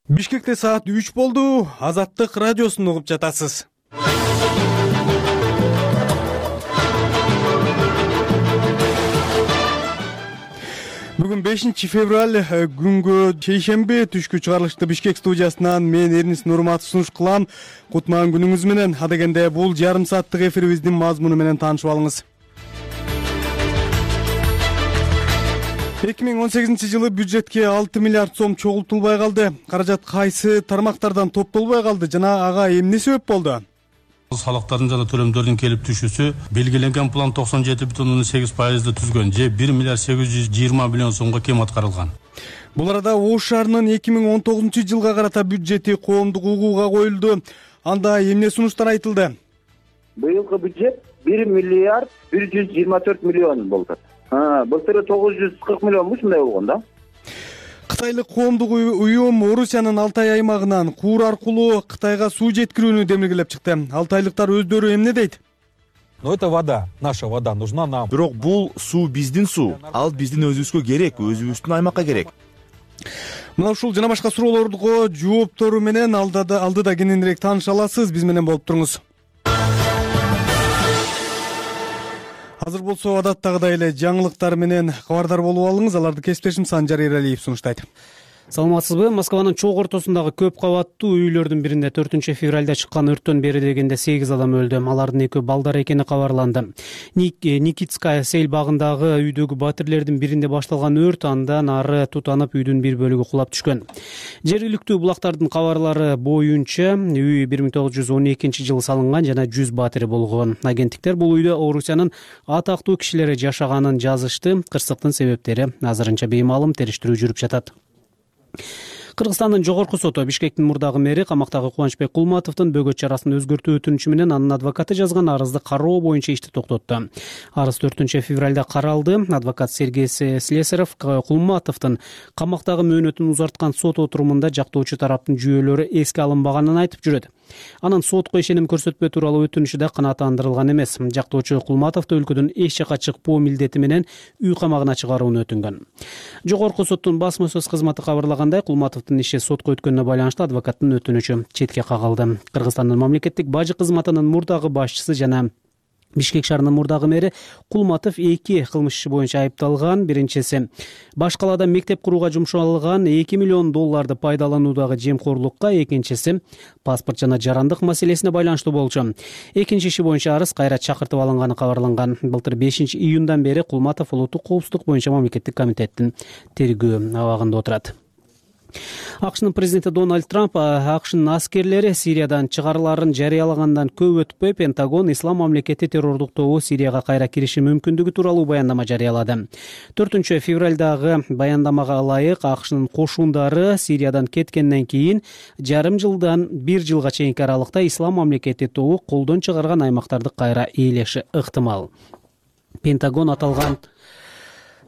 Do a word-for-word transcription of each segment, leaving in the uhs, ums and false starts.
Бишкекте саат үч болду. Азаттык радиосун угуп жатасыз. Бүгүн бешинчи февраль күнгө шейшемби түшкү чыгарылышты Бишкек студиясынан мен Эрнис Нурматов сунуш кылам. Кутман күнүңүз менен. Ада дегенде бул жарым сааттык эфирибиздин мазмуну менен таанышып алыңыз. эки миң он сегизинчи жылы бюджетке алты миллиард сом чогултулбай калды. Каражат кайсы тармактардан топтолбой калды жана ага эмне себеп болду? Салыктардын жана төлөмдөрдүн келип түшүүсү белгиленген план токсон жети бүтүн ондон сегиз пайызды түзгөн же бир миллиард сегиз жүз жыйырма миллион сомго кем аткарылган. Бул арада Ош шаарынын эки миң он тогузунчу жылга карата бюджети коомдук угууга коюлду. Анда эмне сунуштар айтылды? Быйылкы бюджет бир миллиард бир жүз жыйырма төрт миллион болду. Былтыр тогуз жүз кырк миллионмуш мындай болгон да. Кытайлык коомдук уюм Орусиянын Алтай аймагынан Куур аркылуу Кытайга суу жеткирүүнү демилгелеп чыкты. Алтайлыктар өздөрү эмне дейт? Но это вода, наша вода нужна нам. Бирок бул суу биздин суу. Ал биздин өзүбүзгө керек, өзүбүздүн аймакка керек. Мына ушул жана башка суроолорго жооптору менен алдыда кененирээк тааныша аласыз. Биз менен болуп туруңуз. Азыр болсо адаттагыдай эле жаңылыктар менен кабардар болуп алыңыз. Аларды кесиптешим Санжар Эралиев сунуштайт. Саламатсызбы? Москванын чогуу ортосундагы көп кабаттуу үйлөрдүн биринде төртүнчү февралда чыккан өрттөн бери дегенде сегиз адам өлдү. Алардын экөө балдар экени кабарланды. Никитская сел багындагы үйдөгү батирлердин биринде башталган өрт андан ары тутанып үйдүн бир бөлүгү кулап түшкөн. Жергиликтүү булактардын кабарлары боюнча үй бир миң тогуз жүз он экинчи жылы салынган жана жүз батири болгон. Агенттиктер бул үйдө Орусиянын атактуу кишилери жашаганын жазышты. Кырсыктын себептери азырынча беймаалым, териштирүү жүрүп жатат. Кыргызстандын жогорку соту Бишкектин мурдагы мэри камактагы Кубанычбек Кулматовдун бөгөт чарасын өзгөртүү өтүнүчү менен анын адвокаты жазган арызды кароо боюнча ишти токтотту. Арыз төртүнчү февралда каралды. Адвокат Сергей Слесарев Кулматовдун камактагы мөөнөтүн узарткан сот отурумунда жактоочу тараптын жүйөлөрү эске алынбаганын айтып жүрөт. Анын сотко ишеним көрсөтпөө тууралуу өтүнүшү да канааттандырылган эмес. Жактоочу Кулматовду өлкөдөн эч жака чыкпоо милдети менен үй камагына чыгарууну өтүнгөн. Жогорку соттун басма сөз кызматы кабарлагандай, Кулматовдун иши сотко өткөнүнө байланыштуу адвокаттын өтүнүчү четке кагылды. Кыргызстандын мамлекеттик бажы кызматынын мурдагы башчысы жана Бишкек шаарынын мурдагы мэри Кулматов эки кылмыш иши боюнча айыпталган. Биринчиси баш калаада мектеп курууга жумшалган эки миллион долларды пайдалануудагы жемкорлукка, экинчиси паспорт жана жарандык маселесине байланыштуу болчу. Экинчи иши боюнча арыз кайра чакыртып алынганы кабарланган. Былтыр бешинчи июндан бери Кулматов улуттук коопсуздук боюнча мамлекеттик комитеттин тергөө абагында отурат. АКШнын президенти Дональд Трамп АКШнын аскерлери Сириядан чыгарыларын жарыялагандан көп өтпөй Пентагон ислам мамлекети террордук тобу Сирияга кайра кириши мүмкүндүгү тууралуу баяндама жарыялады. төртүнчү февралдагы баяндамага ылайык АКШнын кошундары Сириядан кеткенден кийин жарым жылдан бир жылга чейинки аралыкта ислам мамлекети тобу колдон чыгарган аймактарды кайра ээлеши ыктымал. Пентагон аталган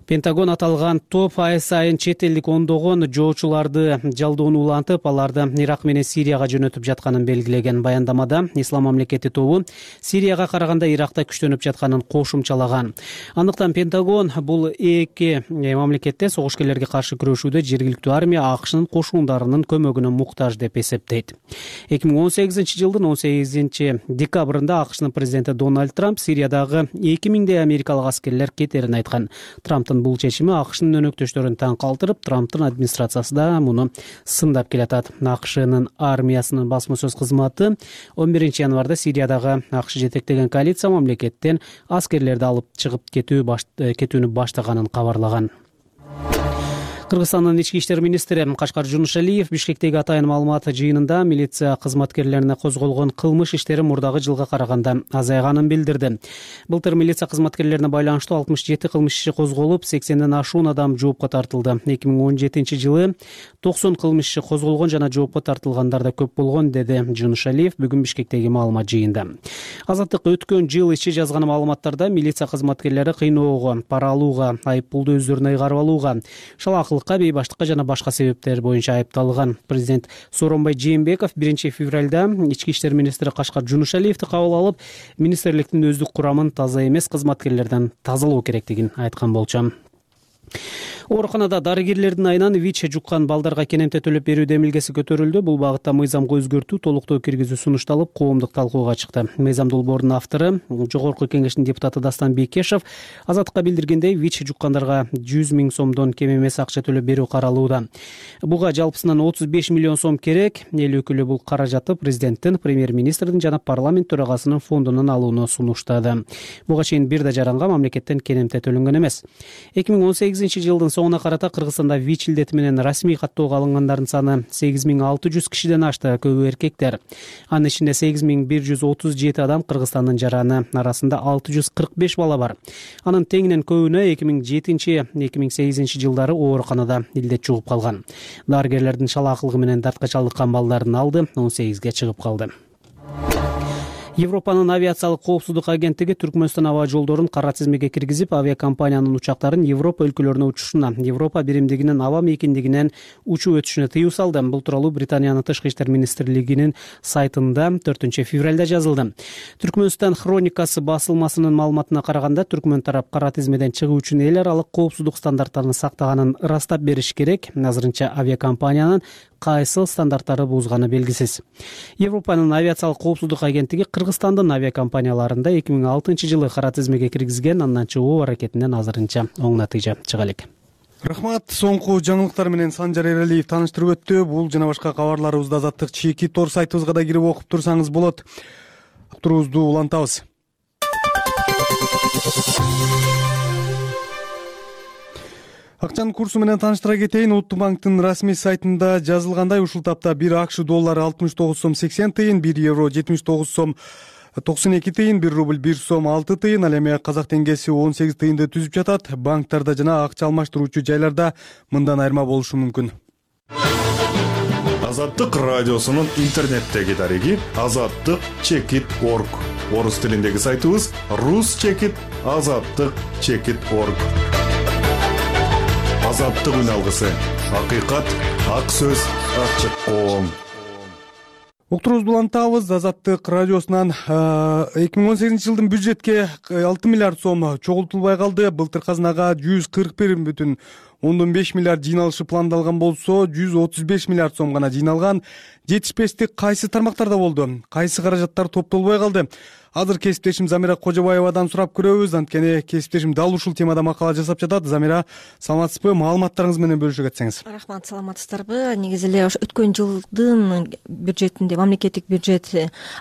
Пентагон аталган топ ай сайын чет элдик ондогон жоочуларды жалдоону улантып, аларды Ирак менен Сирияга жөнөтүп жатканын белгилеген. Баяндамада ислам мамлекети тобу Сирияга караганда Иракта күчтөнүп жатканын кошумчалаган. Андыктан Пентагон бул эки мамлекетте согушкерлерге каршы күрөшүүдө жергиликтүү армия АКШнын кошундарынын көмөгүнө муктаж деп эсептейт. эки миң он сегизинчи жылдын он сегизинчи декабрында АКШнын президенти Дональд Трамп Сириядагы эки миңдей америкалык аскерлер кетерин айткан. Трамптын бул чечими АКШнын өнөктөштөрүн таң калтырып, Трамптын администрациясы да муну сындап келатат. АКШнын армиясынын басма сөз кызматы он биринчи январда Сириядагы АКШ жетектеген коалиция мамлекеттен аскерлерди алып чыгып кетүү кетүүнү баштаганын кабарлаган. Кыргызстандын ички иштер министри Кашкар Жунушалиев Бишкектеги атайын маалымат жыйынында милиция кызматкерлерине козголгон кылмыш иштери мурдагы жылга караганда азайганын билдирди. Былтыр милиция кызматкерлерине байланыштуу алтымыш жети кылмыш иши козголуп, сексенден ашуун адам жоопко тартылды. эки миң он жетинчи жылы токсон кылмыш иши козголгон жана жоопко тартылгандар да көп болгон, деди Жунушалиев бүгүн Бишкектеги маалымат жыйында. Азаттык өткөн жыл ичи жазган маалыматтарда милиция кызматкерлери кыйноого, пара алууга, айып пулду өздөрүнө ыйгарып алууга, шалаак бейбаштыкка жана башка себептер боюнча айыпталган. Президент Сооронбай Жээнбеков биринчи февралда ички иштер министри Кашкар Жунушалиевди кабыл алып, министрликтин өздүк курамын таза эмес кызматкерлерден тазалоо керектигин айткан болчу. Ооруканада дарыгерлердин айынан ВИЧ жуккан балдарга кенемте төлөп берүү демилгеси көтөрүлдү. Бул багытта мыйзамга өзгөртүү, толуктоо киргизүү сунушталып, коомдук талкууга чыкты. Мыйзам долбоорунун автору, Жогорку Кеңештин депутаты Дастан Бекешев Азаттыкка билдиргендей, ВИЧ жуккандарга жүз миң сомдон кем эмес акча төлөп берүү каралууда. Буга жалпысынан отуз беш миллион сом керек. Эл өкүлү бул каражатты президенттин, премьер-министрдин жана парламент төрагасынын фондунан алууну сунуштады. Буга чейин бир да жаранга мамлекеттен кенемте төлөнгөн эмес. эки миң он сегизинчи жылдын соңуна карата Кыргызстанда ВИЧ илдети менен расмий каттоого алынгандардын саны сегиз миң алты жүз кишиден ашты, көбү эркектер. Анын ичинде сегиз миң бир жүз отуз жети адам Кыргызстандын жараны, арасында алты жүз кырк беш бала бар. Анын теңинен көбүнө эки миң жетинчи — эки миң сегизинчи жылдары ооруканада илдет жугуп калган. Дарыгерлердин шалаакылыгы менен дартка чалдыккан балдардын алды он сегизге чыгып калды. Европанын авиациялык коопсуздук агенттиги Түркмөнстан аба жолдорун кара тизмеге киргизип, авиакомпаниянын учактарын Европа өлкөлөрүнө учушуна, Европа биримдигинин аба мейкиндигинен учуп өтүшүнө тыюу салды. Бул тууралуу Британиянын тышкы иштер министрлигинин сайтында төртүнчү февралда жазылды. Түркмөнстан хроникасы басылмасынын маалыматына караганда, Түркмөн тарап кара тизмеден чыгуу үчүн эл аралык коопсуздук стандарттарын сактаганын ырастап бериш керек. Азырынча авиакомпаниянын кайсы стандарттары бузганы белгисиз. Европанын авиациялык коопсуздук агенттиги Кыргызстандын авиакомпанияларында эки миң алтынчы жылы кара тизмеге киргизген, андан чыгуу аракетинен азырынча оң натыйжа чыга элек. Рахмат. Соңку жаңылыктар менен Санжар Эралиев тааныштырып өттү. Бул жана башка кабарларыбызды Азаттык чеки тор сайтыбызга да кирип окуп турсаңыз болот. Турубузду улантабыз. Акчанын курсу менен тааныштыра кетейин. Улуттук банктын расмий сайтында жазылгандай, ушул тапта бир АКШ доллары алтымыш тогуз сом сексен тыйын, бир евро жетимиш тогуз сом токсон эки тыйын, бир рубль бир сом алты тыйын, ал эми казак теңгеси он сегиз тыйынды түзүп жатат. Банктарда жана акча алмаштыруучу жайларда мындан айырма болушу мүмкүн. Азаттык радиосунун интернеттеги дареги азаттык чекит точка орг. Орус тилиндеги сайтыбыз рус чекит азаттык чекит точка орг. Азаттык үн алгысы, акыйкат, ак сөз, ачык коом. Уктурубузду улантабыз. Азаттык радиосунан эки миң он сегизинчи жылдын бюджетке алты миллиард сом чогултулбай калды. Былтыр казынага жүз кырк бир бүтүн ондон беш миллиард жыйналышы пландалган болсо, жүз отуз беш миллиард сом гана жыйналган. Жетишпестик кайсы тармактарда болду? Кайсы каражаттар топтолбой калды? Азыр кесиптешим Замира Кожобаевадан сурап көрөбүз. Анткени кесиптешим дал ушул темада макала жасап жатат. Замира, саламатсызбы? Маалыматтарыңыз менен бөлүшө кетсеңиз. Рахмат, саламатсыздарбы? Негизи эле ошо өткөн жылдын бюджетинде, мамлекеттик бюджет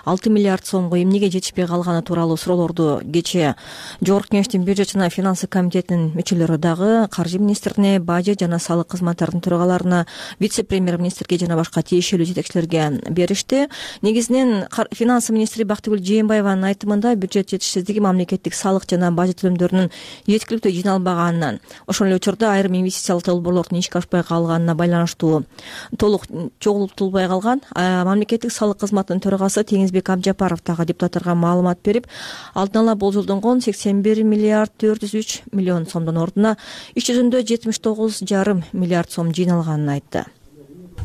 алты миллиард сомго эмнеге жетишпей калганы тууралуу суроолорду кечээ Жогорку Кеңештин бюджет жана финансы комитетинин мүчөлөрү дагы каржы министрине, бажет жана салык кызматтарынын төрагаларына, вице-премьер-министрге жана башка тиешелүү жетекчилерге беришти. Негизинен финансы министри Бактыгүл Жээнбаеванын айтымында бюджет жетишсиздиги мамлекеттик салык жана бажет төлөмдөрүнүн жеткиликтүү жыйналбаганынан, ошол эле учурда айрым инвестициялык долбоорлордун ишке ашпай калганына байланыштуу толук чогултулбай калган. Мамлекеттик салык кызматынын төрагасы Теңизбек Абжапаров дагы депутаттарга маалымат берип, алдын ала болжолдонгон сексен бир миллиард төрт жүз үч миллион сомдун ордуна иш жүзүндө жетимиш тогуз жарым миллиард сом жыйналганын айтты.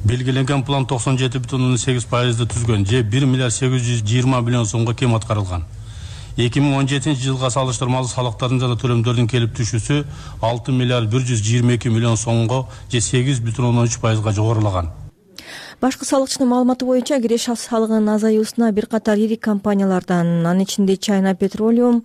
Белгиленген план токсон жети бүтүн ондон сегиз пайызды түзгөн, же бир миллиард сегиз жүз жыйырма миллион сомго кем аткарылган. эки миң он жетинчи жылга салыштырмалуу салыктардын жана төлөмдөрдүн келип түшүүсү алты миллиард бир жүз жыйырма эки миллион сомго, же сегиз бүтүн ондон үч пайызга жогорулаган. Башкы салыкчынын маалыматы боюнча киреш салыгынын азаюусуна бир катар ири компаниялардан, анын ичинде China Petroleum,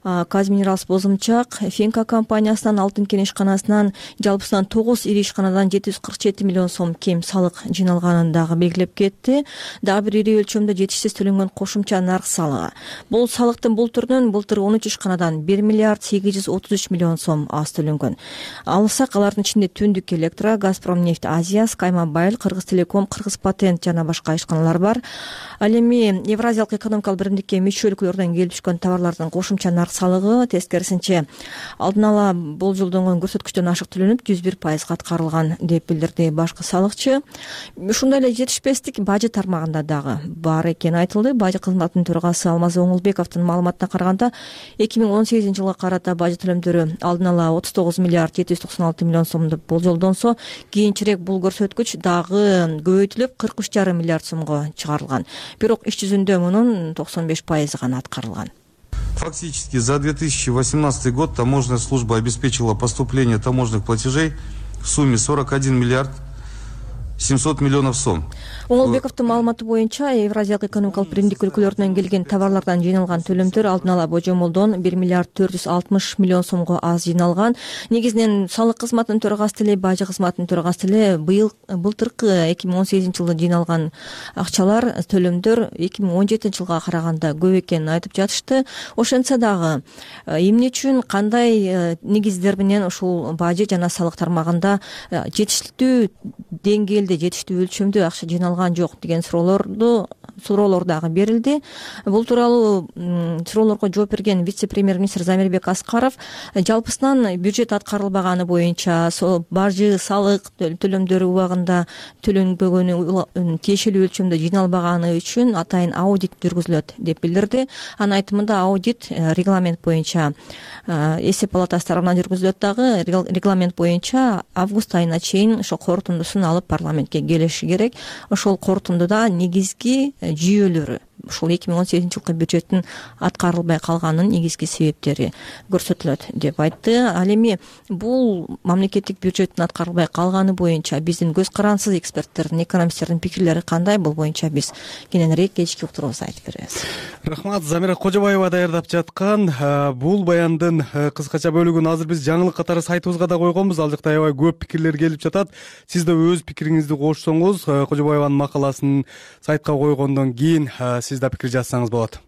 Казминералс Бозумчак, Фенка компаниясынан, Алтын кен ишканасынан, жалпысынан тогуз ири ишканадан жети жүз кырк жети миллион сом кем салык жыйналганын дагы белгилеп кетти. Дагы бир ири өлчөмдө жетишсиз төлөнгөн кошумча нарк салыгы. Бул салыктын бул түрүнөн былтыр он үч ишканадан бир миллиард сегиз жүз отуз үч миллион сом аз төлөнгөн. Алсак, алардын ичинде Түндүк Электро, Газпромнефть Азия, Скаймобайл, Кыргыз Телеком, Кыргыз Патент жана башка ишканалар бар. Ал эми Евразиялык экономикалык биримдикке мүчө өлкөлөрдөн келип түшкөн товарлардын кошумча нарк салыгы тескерисинче алдын ала болжолдонгон көрсөткүчтөн ашык төлөнүп жүз бир пайызга аткарылган деп билдирди башкы салыкчы. Ушундай эле жетишпестик бажет тармагында дагы бар экени айтылды. Бажет кызматынын төрагасы Алмаз Оңулбековдун маалыматына караганда, эки миң он сегизинчи жылга карата бажет төлөмдөрү алдын ала отуз тогуз миллиард жети жүз токсон алты миллион сом деп болжолдонсо, кийинчерээк бул көрсөткүч дагы көбөйтүлүп кырк үч жарым миллиард сомго чыгарылган. Бирок иш жүзүндө мунун токсон беш пайызы гана аткарылган. Фактически за две тысячи восемнадцатый год таможенная служба обеспечила поступление таможенных платежей в сумме сорок один миллиард семьсот миллионов сом. Оңолбековдун маалыматы боюнча Евразиялык экономикалык биримдик өлкөлөрүнөн келген товарлардан жыйналган төлөмдөр алдын ала божомолдон бир миллиард төрт жүз алтымыш миллион сомго аз жыйналган. Негизинен салык кызматынын төрагасы эле, бажы кызматынын төрагасы эле быйыл былтыркы эки миң он сегизинчи жылы жыйналган акчалар, төлөмдөр эки миң он жетинчи жылга караганда көп экенин айтып жатышты. Ошентсе дагы эмне үчүн, кандай негиздер менен ушул бажы жана салык тармагында жетиштүү деңгээлде, жетиштүү өлчөмдө акча жыйналган жок деген суроолорду суроолор дагы берилди. Бул тууралуу суроолорго жооп берген вице-премьер-министр Замирбек Аскаров жалпысынан бюджет аткарылбаганы боюнча, бажы, салык төлөмдөрү убагында төлөнбөгөнү, тиешелүү өлчөмдө жыйналбаганы үчүн атайын аудит жүргүзүлөт деп билдирди. Анын айтымында аудит регламент боюнча эсеп палатасы тарабынан жүргүзүлөт, дагы регламент боюнча август айына чейин ошо корутундусун алып парламентке келиши керек. Ошол корутундуда негизги жүйөлөрү, ушул эки миң он сегизинчи жылкы бюджеттин аткарылбай калганынын негизги себептери көрсөтүлөт деп айтты. Ал эми бул мамлекеттик бюджеттин аткарылбай калганы боюнча биздин көз карансыз эксперттердин, экономисттердин пикирлери кандай? Бул боюнча биз кененирээк кечки уктурубузда айтып беребиз. Рахмат. Замира Кожобаева даярдап жаткан бул баяндын кыскача бөлүгүн азыр биз жаңылык катары сайтыбызга да койгонбуз. Ал жакта аябай көп пикирлер келип жатат. Сиз да өз пикириңизди кошсоңуз, Кожобаеванын макаласын сайтка койгондон кийин сиз да пикир жазсаңыз болот.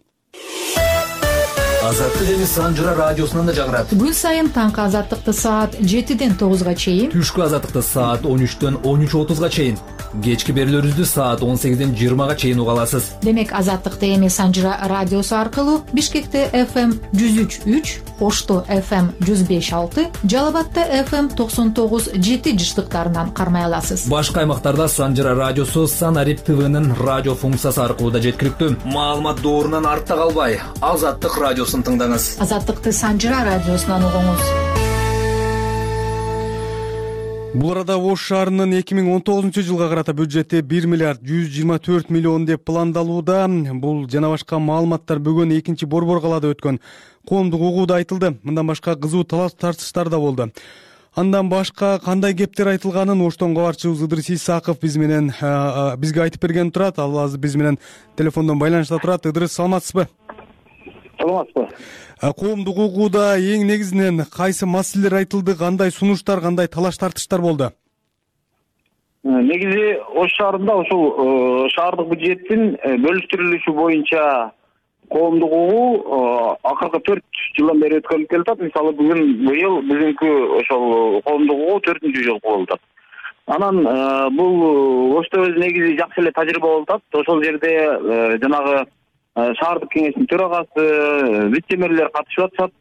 Азаттык эми Санжыра радиосунан да жаңырат. Күн сайын таңкы азаттыкты саат жетиден тогузга чейин, түшкү азаттыкты саат он үчтөн он үч отузга чейин, кечки берүүлөрүбүздү саат он сегизден жыйырмага чейин уга аласыз. Демек азаттыкты эми Санжыра радиосу аркылуу Бишкекте эф эм жүз үч үч, Ошто эф эм жүз беш алты, Жалал Абадта эф эм токсон тогуз жети жыштыктарынан кармай аласыз. Башка аймактарда Санжыра радиосу Санарип ТВнын радио функциясы аркылуу да жеткиликтүү. Маалымат доорунан артта калбай, Азаттык радиосун тыңдаңыз. Азаттыкты Санжыра радиосунан угуңуз. Бул арада Ош шаарынын эки миң он тогузунчу жылга карата бюджети бир миллиард жүз жыйырма төрт миллион деп пландалууда. Бул жана башка маалыматтар бүгүн экинчи Борбор калаада өткөн коомдук угууда айтылды. Мындан башка кызуу талаш тартыштар да болду. Андан башка кандай кептер айтылганын Оштон кабарчыбыз Ыдырыс Исаков биз менен бизге айтып берген турат. Ал азыр биз менен телефондон байланышта турат. Ыдырыс, саламатсызбы? Саламатсызбы. Коомдук угууда эң негизинен кайсы маселелер айтылды, кандай сунуштар, кандай талаш тартыштар болду? Негизи Ош шаарында ушул шаардык бюджеттин бөлүштүрүлүшү боюнча коомдук угуу акыркы төрт жылдан бери өткөрүлүп келатат. Мисалы бүгүн быйыл бүгүнкү ошол коомдук угуу төртүнчү жолу болуп атат. Анан бул Ошто өзү негизи жакшы эле тажрыйба болуп атат. Ошол жерде жанагы шаардык кеңештин төрагасы, вице-мэрлер катышып атышат.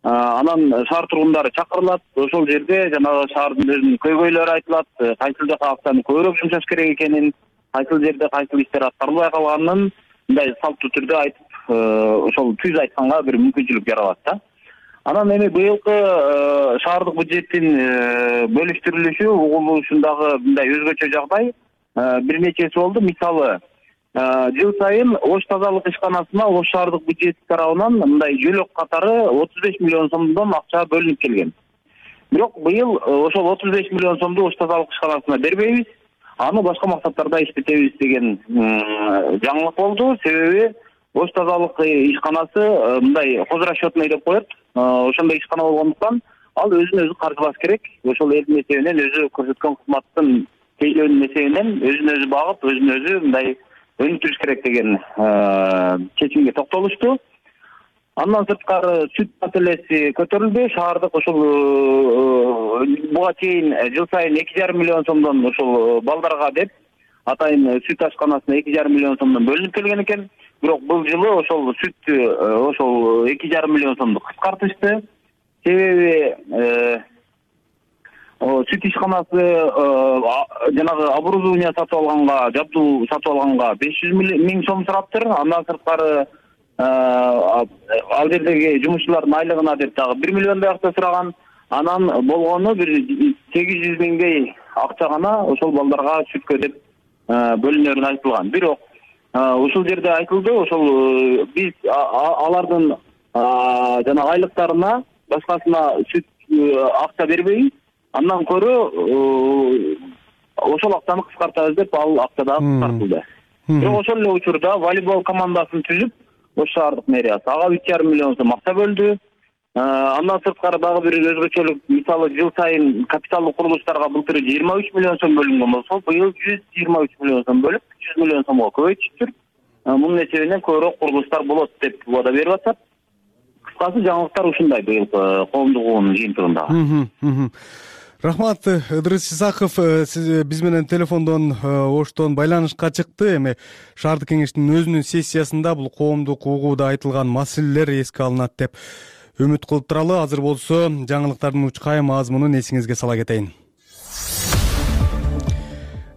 Анан шаар тургундары чакырылат. Ошол жерде жанагы шаардын өзүнүн көйгөйлөрү айтылат, кайсыл жака акчаны көбүрөөк жумшаш керек экенин, кайсыл жерде кайсыл иштер аткарылбай калганын мындай салттуу түрдө айтып, ошол түз айтканга бир мүмкүнчүлүк жаралат да. Анан эми быйылкы шаардык бюджеттин бөлүштүрүлүшү угулушундагы мындай өзгөчө жагдай бир нечеси болду. Мисалы, жыл сайын Ош тазалык ишканасына Ош шаардык бюджети тарабынан мындай жөлөк катары отуз беш миллион сомдон акча бөлүнүп келген. Бирок быйыл ошол отуз беш миллион сомду Ош тазалык ишканасына бербейбиз, аны башка максаттарда иштетебиз деген жаңылык болду. Себеби Ош тазалык ишканасы мындай хозрасчетный деп коет. Ошондой ишкана болгондуктан ал өзүн өзү каржылаш керек. Ошол элдин эсебинен, өзү көрсөткөн кызматтын тейлөөнүн эсебинен өзүн өзү багып, өзүн өзү мындай өнүктүрүш керек деген чечимге токтолушту. Андан сырткары сүт маселеси көтөрүлдү. Шаардык ошол буга чейин жыл сайын эки жарым миллион сомдон ошол балдарга деп атайын сүт ашканасына эки жарым миллион сомдон бөлүнүп келген экен. Бирок бул жылы ошол сүттү ошол эки жарым миллион сомду кыскартышты. Себеби сүт ишканасы жанагы оборудование сатып алганга, жабдуу сатып алганга беш жүз миң сом сураптыр. Андан сырткары ал жердеги жумушчулардын айлыгына деп дагы бир миллиондой акча сураган. Анан болгону бир сегиз жүз миңдей акча гана ошол балдарга сүткө деп бөлүнөрүн айтылган. Бирок ушул жерде айтылды, ошол биз алардын жана айлыктарына башкасына сүт акча бербей, андан көрө ошол акчаны кыскартабыз деп ал акча дагы кыскартылды. Бирок ошол эле учурда волейбол командасын түзүп, Ош шаардык мэриясы ага үч жарым миллион сом акча бөлдү. Андан сырткары дагы бир өзгөчөлүк, мисалы жыл сайын капиталдык курулуштарга былтыр жыйырма үч миллион сом бөлүнгөн болсо, быйыл жүз жыйырма үч миллион сом бөлүп, жүз миллион сомго көбөйтүптүр. Мунун эсебинен көбүрөөк курулуштар болот деп убада берип атат. Кыскасы жаңылыктар ушундай быйыл коомдук угуунун жыйынтыгында. Рахмат, Ыдырыс Исаков, сиз биз менен телефондон Оштон байланышка чыкты. Эми шаардык кеңештин өзүнүн сессиясында бул коомдук угууда айтылган маселелер эске алынат деп үмүт кылып туралы. Азыр болсо жаңылыктардын учкай мазмунун эсиңизге сала кетейин.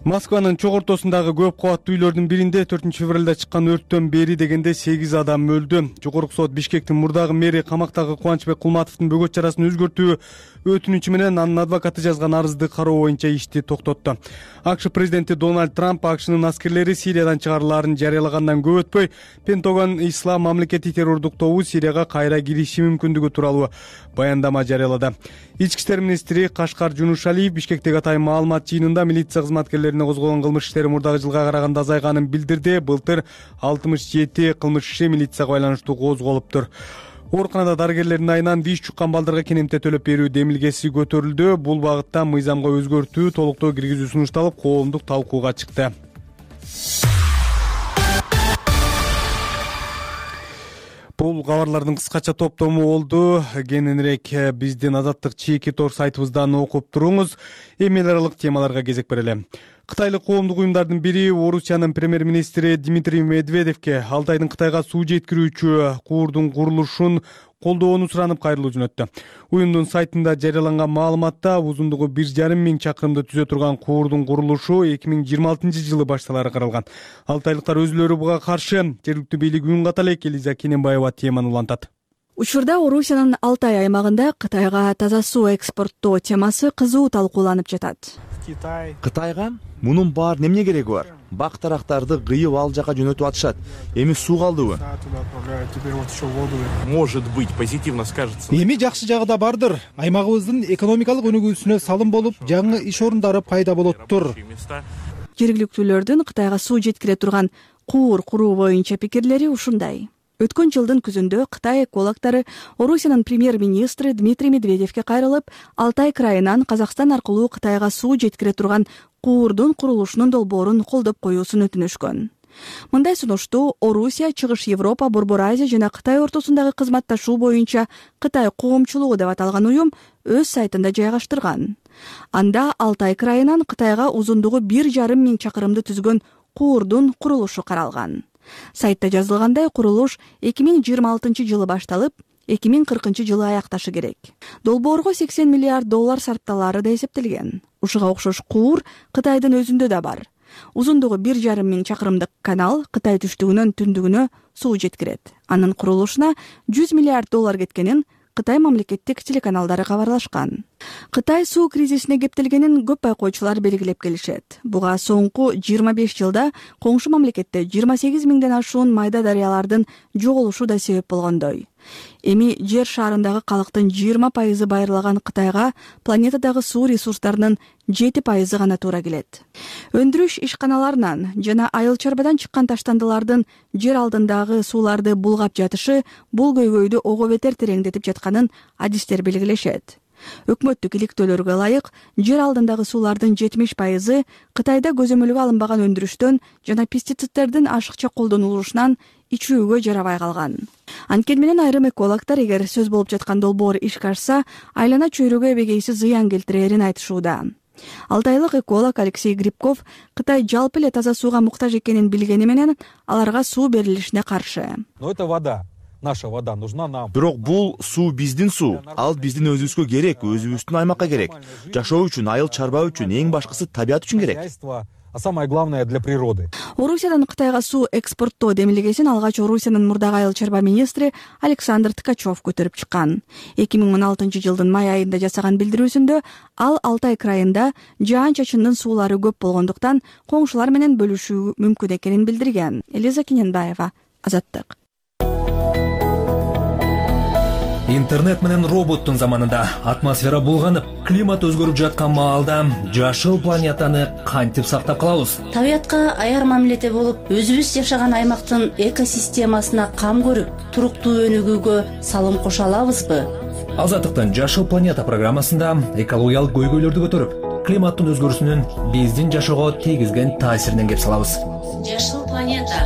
Москванын чок ортосундагы көп кабаттуу үйлөрдүн биринде төртүнчү февралда чыккан өрттөн бери дегенде сегиз адам өлдү. Жогорку сот Бишкектин мурдагы мэри камактагы Кубанычбек Кулматовдун бөгөт чарасын өзгөртүү өтүнүчү менен анын адвокаты жазган арызды кароо боюнча ишти токтотту. АКШ президенти Дональд Трамп АКШнын аскерлери Сириядан чыгарылаарын жарыялагандан көп өтпөй, Пентагон ислам мамлекети террордук тобу Сирияга кайра кириши мүмкүндүгү тууралуу баяндама жарыялады. Ички иштер министри Кашкар Жунушалиев Бишкектеги атайын маалымат жыйынында милиция кызматкерлерине козголгон кылмыш иштери мурдагы жылга караганда азайганын билдирди. Былтыр алтымыш жети кылмыш иши милицияга байланыштуу козголуптур. Ооруканада дарыгерлердин айынан виз чуккан балдарга кенемте төлөп берүү демилгеси көтөрүлдү. Бул багытта мыйзамга өзгөртүү толуктоо киргизүү сунушталып, коомдук талкууга чыкты. Бул кабарлардын кыскача топтому болду. Кененирээк биздин Азаттык чеки тор сайтыбыздан окуп туруңуз. Эми эл аралык темаларга кезек берели. Кытайлык коомдук уюмдардын бири Орусиянын премьер-министри Дмитрий Медведевке Алтайдын Кытайга суу жеткирүүчү куурдун курулушун колдоону суранып кайрылуу жөнөттү. Уюмдун сайтында жарыяланган маалыматта узундугу бир жарым миң чакырымды түзө турган куурдун курулушу эки миң жыйырма алтынчы жылы башталары каралган. Алтайлыктар өзүлөрү буга каршы, жергиликтүү бийлик үн ката элек. Элиза Кененбаева теманы улантат. Учурда Орусиянын Алтай аймагында Кытайга таза суу экспорттоо темасы кызуу талкууланып жатат. Кытайга мунун баары эмне кереги бар? Бак тарактарды кыйып ал жака жөнөтүп атышат. Эми суу калдыбы? Может быть, позитивно скажется. Эми жакшы жагы да бардыр. Аймагыбыздын экономикалык өнүгүүсүнө салым болуп, жаңы иш орундары пайда болоттур. Жергиликтүүлөрдүн Кытайга суу жеткире турган куур куруу боюнча пикирлери ушундай. Өткөн жылдын күзүндө Кытай экологдору Орусиянын премьер-министри Дмитрий Медведевке кайрылып, Алтай крайынан Казакстан аркылуу Кытайга суу жеткире турган куурдун курулушунун долбоорун колдоп коюусун өтүнүшкөн. Мындай сунушту Орусия, Чыгыш Европа, Борбор Азия жана Кытай ортосундагы кызматташуу боюнча Кытай коомчулугу деп аталган уюм өз сайтында жайгаштырган. Анда Алтай крайынан Кытайга узундугу бир жарым миң чакырымды түзгөн куурдун курулушу каралган. Сайтта жазылгандай, курулуш эки миң жыйырма алтынчы жылы башталып, эки миң кыркынчы жылы аякташы керек. Долбоорго сексен миллиард доллар сарпталаары да эсептелген. Ушуга окшош куур Кытайдын өзүндө да бар. Узундугу бир жарым миң чакырымдык канал Кытай түштүгүнөн түндүгүнө суу жеткирет. Анын курулушуна жүз миллиард доллар кеткенин Кытай мамлекеттик телеканалдары кабарлашкан. Кытай суу кризисине кептелгенин көп байкоочулар белгилеп келишет. Буга соңку жыйырма беш жылда коңшу мамлекетте жыйырма сегиз миңден ашуун майда дарыялардын жоголушу да себеп болгондой. Эми жер шарындагы калктын жыйырма пайызы байырлаган Кытайга планетадагы суу ресурстарынын жети пайызы гана туура келет. Өндүрүш ишканаларынан жана айыл чарбадан чыккан таштандылардын жер алдындагы сууларды булгап жатышы бул көйгөйдү ого бетер тереңдетип жатканын адистер белгилешет. Өкмөттүк иликтөөлөргө ылайык, жер алдындагы суулардын жетимиш пайызы Кытайда көзөмөлгө алынбаган өндүрүштөн жана пестицидтердин ашыкча колдонулушунан ичүүгө жарабай калган. Анткени менен айрым экологдор эгер сөз болуп жаткан долбоор ишке ашса, айлана чөйрөгө эбегейсиз зыян келтирерин айтышууда. Алтайлык эколог Алексей Грибков Кытай жалпы эле таза сууга муктаж экенин билгени менен аларга суу берилишине каршы. Но это вода. Наша вода нужна нам. Бирок бул суу биздин суу. Ал биздин өзүбүзгө керек, өзүбүздүн аймакка керек. Жашоо үчүн, айыл чарба үчүн, эң башкысы табият үчүн керек. А самое главное для природы. Орусиядан Кытайга суу экспорттоо демилгесин алгач Орусиянын мурдагы айыл чарба министри Александр Ткачев көтөрүп чыккан. эки миң он алтынчы жылдын май айында жасаган билдирүүсүндө ал Алтай крайында жаан-чачындын суулары көп болгондуктан коңшулар менен бөлүшүү мүмкүн экенин билдирген. Элиза Кененбаева, Азаттык. Интернет менен роботтун заманында атмосфера булганып, климат өзгөрүп жаткан маалда жашыл планетаны кантип сактап калабыз? Табиятка аяр мамиледе болуп, өзүбүз жашаган аймактын экосистемасына кам көрүп, туруктуу өнүгүүгө салым кошо алабызбы? Азаттыктын Жашыл планета программасында экологиялык көйгөйлөрдү көтөрүп, климаттын өзгөрүүсүнүн биздин жашоого тийгизген таасиринен кеп салабыз. Жашыл планета.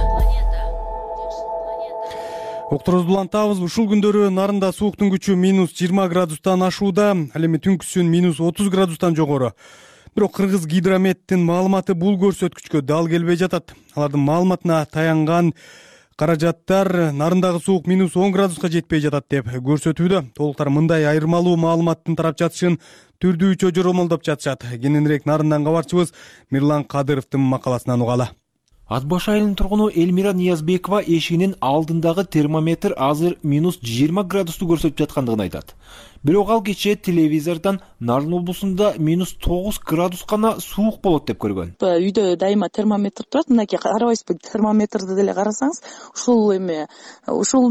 Окторубузду улантабыз. Ушул күндөрү нарында сууктун күчү минус жыйырма градустан ашууда, ал эми түнкүсүн минус отуз градустан жогору. Бирок Кыргыз гидрометтин маалыматы бул көрсөткүчкө дал келбей жатат. Алардын маалыматына таянган каражаттар нарындагы суук минус он градуска жетпей жатат деп көрсөтүүдө. Толуктар мындай айырмалуу маалыматтын тарап жатышын түрдүүчө жоромолдоп жатышат. Кененирээк нарындан кабарчыбыз Мирлан Кадыровдун макаласынан угалы. Ат баш айылынын тургуну Элмира Ниязбекова эшигинин алдындагы термометр азыр минус жыйырма градусту көрсөтүп жаткандыгын айтат. Бирок ал кечээ телевизордон Нарын облусунда минус тогуз градус гана суук болот деп көргөн. Үйдө дайыма термометр турат. Мынакей карабайсызбы, термометрди деле карасаңыз, ушул эме ушул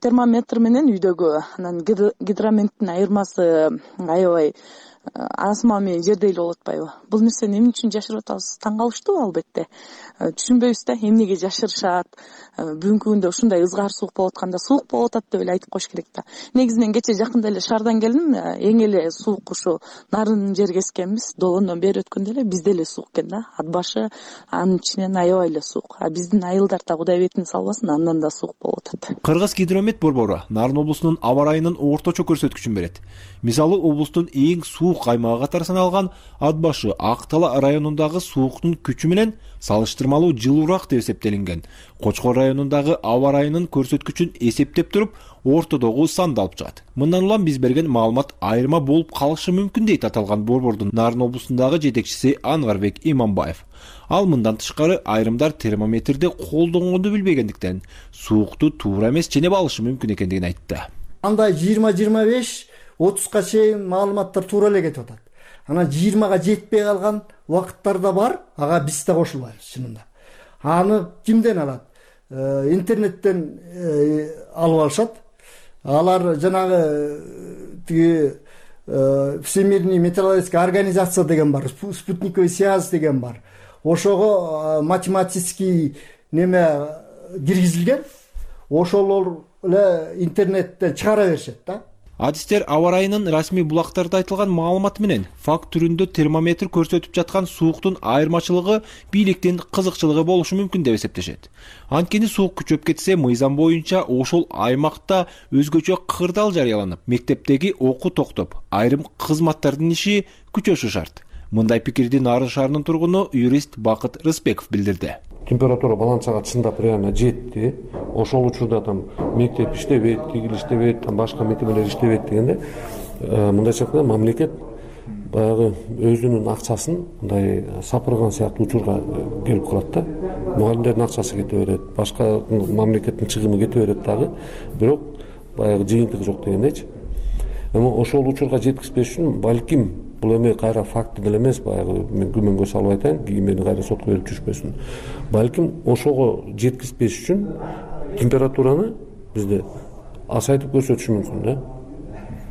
термометр менен үйдөгү анан гидрометтин айырмасы аябай асма менен жердей эле болуп атпайбы? Бул нерсени эмне үчүн жашырып атабыз? Таң калыштуу албетте. Түшүнбөйбүз да, эмнеге жашырышат? Бүгүнкү күндө ушундай ызгар суук болуп атканда суук болуп атат деп эле айтып коюш керек да. Негизинен кечээ жакында эле шаардан келдим. Эң эле суук ушу Нарын жер кескенбиз. Долондон бери өткөндө эле бизде эле суук экен да. Ат башы анын ичинен аябай эле суук. А биздин айылдар да Кудай бетин салбасын, андан да суук болуп атат. Кыргыз гидромет борбору Нарын облусунун аба ырайынын орточо көрсөткүчүн берет. Мисалы, облустун эң суук аймагы катары саналган Ат башы Актала районундагы сууктун күчү менен салыштырмалуу жылуураак деп эсептелинген. Кочкор районундагы аба ырайынын көрсөткүчүн эсептеп туруп, ортодогу санды алып чыгат. Мындан улам биз берген маалымат айырма болуп калышы мүмкүн дейт аталган борбордун Нарын облусундагы жетекчиси Анварбек Иманбаев. Ал мындан тышкары айрымдар термометрди колдонгонду билбегендиктен суукту туура эмес ченеп алышы мүмкүн экендигин айтты. Андай жыйырма жыйырма беш отузга чейин маалыматтар туура эле кетип атат. Анан жыйырмага жетпей калган убакыттар да бар, ага биз да кошулбайбыз чынында. Аны кимден алат? Интернеттен алып алышат. Алар жанагы тиги Всемирный метеорологическая организация деген бар, спутниковый связь деген бар. Ошого математический неме киргизилген. Ошолор эле интернетте чыгара беришет да. Адистер аба ырайынын расмий булактарда айтылган маалымат менен факт түрүндө термометр көрсөтүп жаткан сууктун айырмачылыгы бийликтин кызыкчылыгы болушу мүмкүн деп эсептешет. Анткени суук күчөп кетсе, мыйзам боюнча ошол аймакта өзгөчө кырдаал жарыяланып, мектептеги окуу токтоп, айрым кызматтардын иши күчөшү шарт. Мындай пикирди Нарын шаарынын тургуну юрист Бакыт Рыспеков билдирди. Температура баланчага чындап реально жетти. Ошол учурда там мектеп иштебейт, тигил иштебейт, там башка мекемелер иштебейт дегенде, мындайча айтканда мамлекет баягы өзүнүн акчасын мындай сапырган сыяктуу учурга келип калат да. Мугалимдердин акчасы кете берет, башка мамлекеттин чыгымы кете берет дагы, бирок баягы жыйынтыгы жок дегендейчи. Эми ошол учурга жеткизбеш үчүн балким бул эми кайра факт деле эмес, баягы мен күмөнгө салып айтайын, кийин кайра сотко берип жүрүшпөсүн. Балким ошого жеткизбеш үчүн температураны бизде азайтып көрсөтүшү мүмкүн да.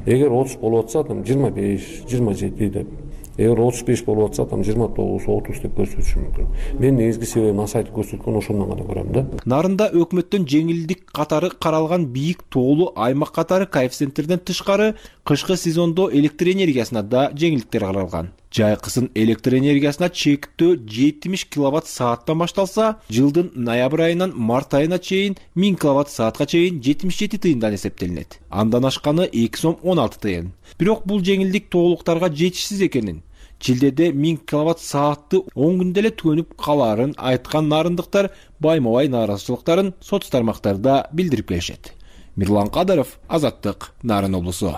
Эгер отуз болуп атса, там жыйырма беш, жыйырма жети деп. Эгер отуз беш болуп атса, там жыйырма тогуз, отуз деп көрсөтүшү мүмкүн. Мен негизги себебин азайтып көрсөткөн ошондон гана көрөм да. Нарында өкмөттөн жеңилдик катары каралган бийик тоолуу аймак катары коэффициенттерден тышкары кышкы сезондо электр энергиясына да жеңилдиктер каралган. Жайкысын электр энергиясына чектөө жетимиш киловатт сааттан башталса, жылдын ноябрь айынан март айына чейин миң киловатт саатка чейин жетимиш жети тыйындан эсептелинет. Андан ашканы эки сом он алты тыйын. Бирок бул жеңилдик тоолуктарга жетишсиз экенин, Чилдеде миң киловатт саатты он күндө эле төнүп калаарын айткан нарындыктар байма-бай нааразычылыктарын соц тармактарда билдирип келишет. Мирлан Кадыров, Азаттык, Нарын облусу.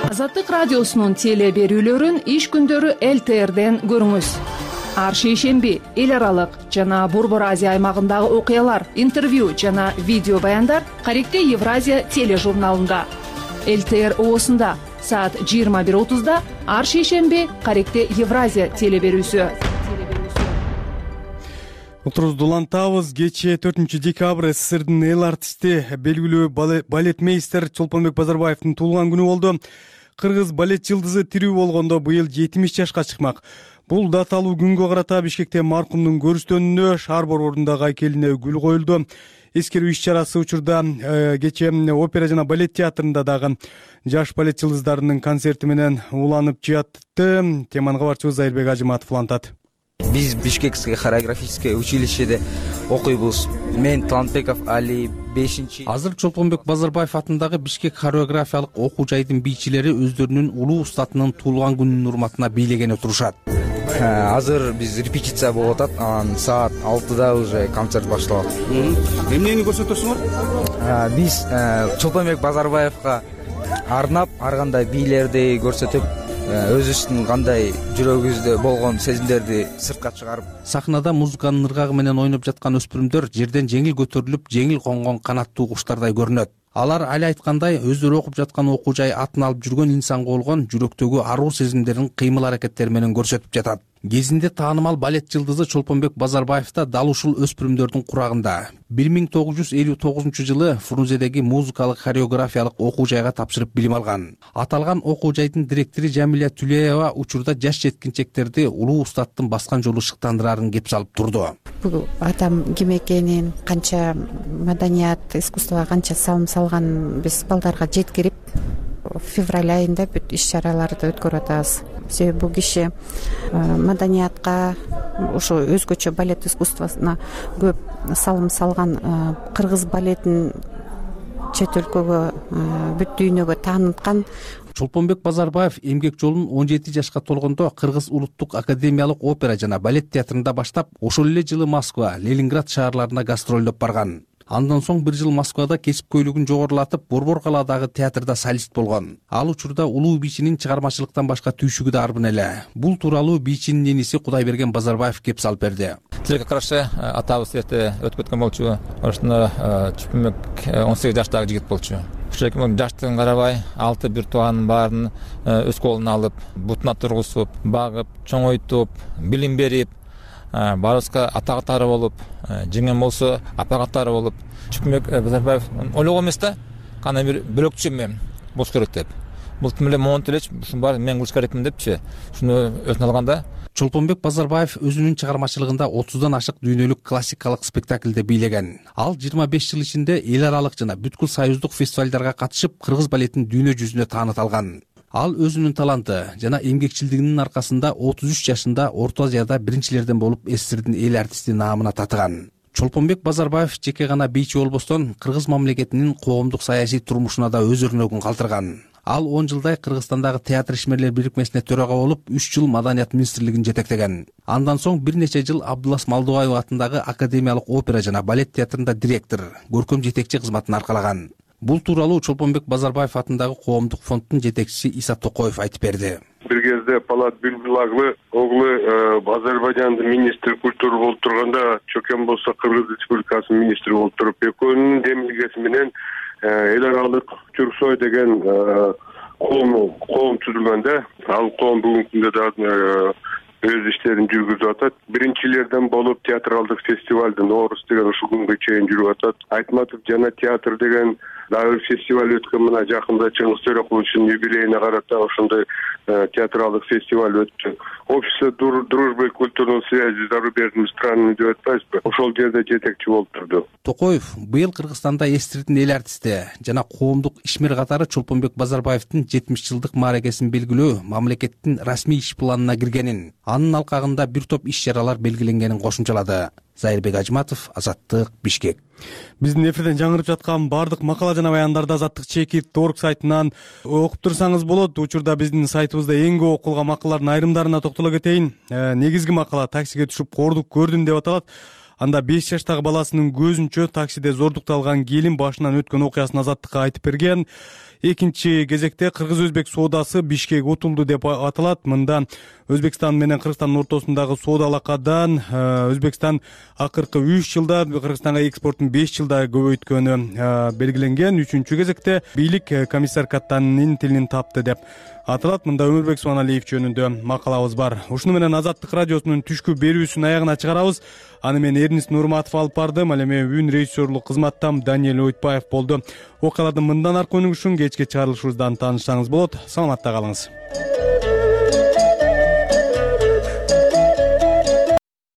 Азаттык радиосунун теле берүүлөрүн иш күндөрү эл тэ эрден көрүңүз. Ар шейшемби эл аралык жана Борбор Азия аймагындагы окуялар, интервью жана видео баяндар Каректе Евразия тележурналында. эл тэ эр оосунда саат жыйырма бир отузда ар шейшемби Каректе Евразия теле берүүсү. Утурубузду улантабыз. Кечээ төртүнчү декабрь СССРдин эл артисти, белгилүү балетмейстер Чолпонбек Базарбаевдин туулган күнү болду. Кыргыз балет жылдызы тирүү болгондо быйыл жетимиш жашка чыкмак. Бул даталуу күнгө карата Бишкекте маркумдун көрүстөнүнө, шаар борборунда айкелине гүл коюлду. Эскерүү иш-чарасы учурда кечээ опера жана балет театрында дагы жаш балет жылдыздарынын концерти менен уланып жатты. Теманы кабарчыбыз Зайырбек Ажыматов улантат. Биз Бишкекское хореографическое училищеде окуйбуз. Мен Талантбеков Али бешинчи. Азыр Чолпонбек Базарбаев атындагы Бишкек хореографиялык окуу жайдын бийчилери өздөрүнүн улуу устатынын туулган күнүнүн урматына бийлеген отурушат. Азыр биз репетиция болуп атат. Анан саат алтыда уже концерт башталат. Эмнени көрсөтөсүңөр? Биз Чолпонбек Базарбаевга арнап, ар кандай бийлерди көрсөтүп, өзүбүздүн кандай жүрөгүбүздө болгон сезимдерди сыртка чыгарып. Сахнада музыканын ыргагы менен ойноп жаткан өспүрүмдөр жерден жеңил көтөрүлүп, жеңил конгон канаттуу куштардай көрүнөт. Алар али айткандай өздөрү окуп жаткан окуу жай атын алып жүргөн инсанга болгон жүрөктөгү аруу сезимдерин кыймыл аракеттери менен көрсөтүп жатат. Кезинде таанымал балет жылдызы Чолпонбек Базарбаев да дал ушул өспүрүмдөрдүн курагында бир миң тогуз жүз элүү тогузунчу жылы Фрунзедеги музыкалык хореографиялык окуу жайга тапшырып билим алган. Аталган окуу жайдын директору Жамиля Түлеева учурда жаш жеткинчектерди улуу устаттын баскан жолу шыктандырарын кеп салып турду. Бул адам ким экенин, канча маданият, искусствого канча салым салганын биз балдарга жеткирип, февраль айында бүт иш-чараларды өткөрүп атабыз. Себеби бул киши маданиятка, ошо өзгөчө балет искусствосуна көп салым салган, кыргыз балетин чет өлкөгө, бүт дүйнөгө тааныткан. Чолпонбек Базарбаев эмгек жолун он жети жашка толгондо Кыргыз улуттук академиялык опера жана балет театрында баштап, ошол эле жылы Москва, Ленинград шаарларына гастролдоп барган. Андан соң бир жыл Москвада кесипкөйлүгүн жогорулатып, Борбор калаадагы театрда солист болгон. Ал учурда улуу бийчинин чыгармачылыктан башка түйшүгү да арбын эле. Бул тууралуу бийчинин эниси Кудайберген Базарбаев кеп салып берди. Тилекке каршы атабыз эрте өтүп кеткен болчу. Ошондо Чолпонбек он сегиз жаштагы жигит болчу. Ошол эки жаштыгын карабай, алты бир тууганын баарын өз колуна алып, бутуна тургузуп, багып, чоңойтуп, билим берип, баарыбызга ата катары болуп, жеңем болсо апа катары болуп, Чолпонбек Базарбаев ойлогон эмес да, кандай бир бөлөкчө эме болуш керек деп. Бул тим эле монт элечи, ушунун баарын мен кылыш керекмин депчи, ушуну өзүнө алганда. Чолпонбек Базарбаев өзүнүн чыгармачылыгында отуздан ашык дүйнөлүк классикалык спектакльде бийлеген. Ал жыйырма беш жыл ичинде эл аралык жана бүткүл союздук фестивалдарга катышып, кыргыз балетин дүйнө жүзүнө тааныталган. Ал өзүнүн таланты жана эмгекчилдигинин аркасында отуз үч жашында Орто Азияда биринчилерден болуп СССРдин эл артисти наамына татыган. Чолпонбек Базарбаев жеке гана бийчи болбостон, кыргыз мамлекетинин коомдук саясий турмушуна да өз өрнөгүн калтырган. Ал он жылдай Кыргызстандагы театр ишмерлер бирикмесине төрага болуп, үч жыл Маданият министрлигин жетектеген. Андан соң бир нече жыл Абдулас Малдыбаев атындагы академиялык опера жана балет театрында директор, көркөм жетекчи кызматын аркалаган. Бул тууралуу Чолпонбек Базарбаев атындагы коомдук фонддун жетекчиси Иса Токоев айтып берди. Бир кезде Палат Билбилаглы оглу Азербайжандын министри культуры болуп турганда, Чөкем болсо Кыргыз Республикасынын министри болуп туруп, экөөнүн демилгеси менен эл аралык Түрксой деген коом коом түзүлгөндө, ал коом бүгүнкү күндө дагы өз иштерин жүргүзүп атат. Биринчилерден болуп театралдык фестивалды Норус деген ушул күнгө чейин жүрүп атат. Айтматов жана театр деген дагы фестиваль өткөн, мына жакында Чыңгыз Төрөкуловичтин юбилейине карата ошондой театралдык фестиваль өттү. Общество дружбы и культурной связи с зарубежными странами деп атпайбызбы? Ошол жерде жетекчи болуп турду. Токоев быйыл Кыргызстанда СССРдин эл артисти жана коомдук ишмер катары Чолпонбек Базарбаевдин жетимиш жылдык мааракесин белгилөө мамлекеттин расмий иш планына киргенин, анын алкагында бир топ иш-чаралар белгиленгенин кошумчалады. Зайырбек Ажматов, Азаттык, Бишкек. Биздин эфирден жаңырып жаткан бардык макала жана баяндарды азаттык чекит точка орг сайтынан окуп турсаңыз болот. Учурда биздин сайтыбызда эң көп окулган макалалардын айрымдарына токтоло кетейин. Негизги макала таксиге түшүп кордук көрдүм деп аталат. Анда беш жаштагы баласынын көзүнчө таксиде зордукту алган келин башынан өткөн окуясын азаттыкка айтып берген. Экинчи кезекте кыргыз-өзбек соодасы Бишкек утулду деп аталат. Мында Өзбекстан менен Кыргызстандын ортосундагы соода алакадан Өзбекстан акыркы үч жылда Кыргызстанга экспортун беш жылда көбөйткөнү белгиленген. Үчүнчү кезекте бийлик комиссар Каттанын тилин тапты деп аталат. Мында Өмүрбек Субаналиев жөнүндө макалабыз бар. Ушуну менен Азаттык радиосунун түшкү берүүсүн аягына чыгарабыз. Аны мен Эрнис Нурматов алып бардым. Ал эми үн режиссерлук кызматтан Даниэль Ойтбаев болду. Окуялардын мындан аркы өнүгүшүн кечки чыгарылышыбыздан таанышсаңыз болот. Саламатта калыңыз.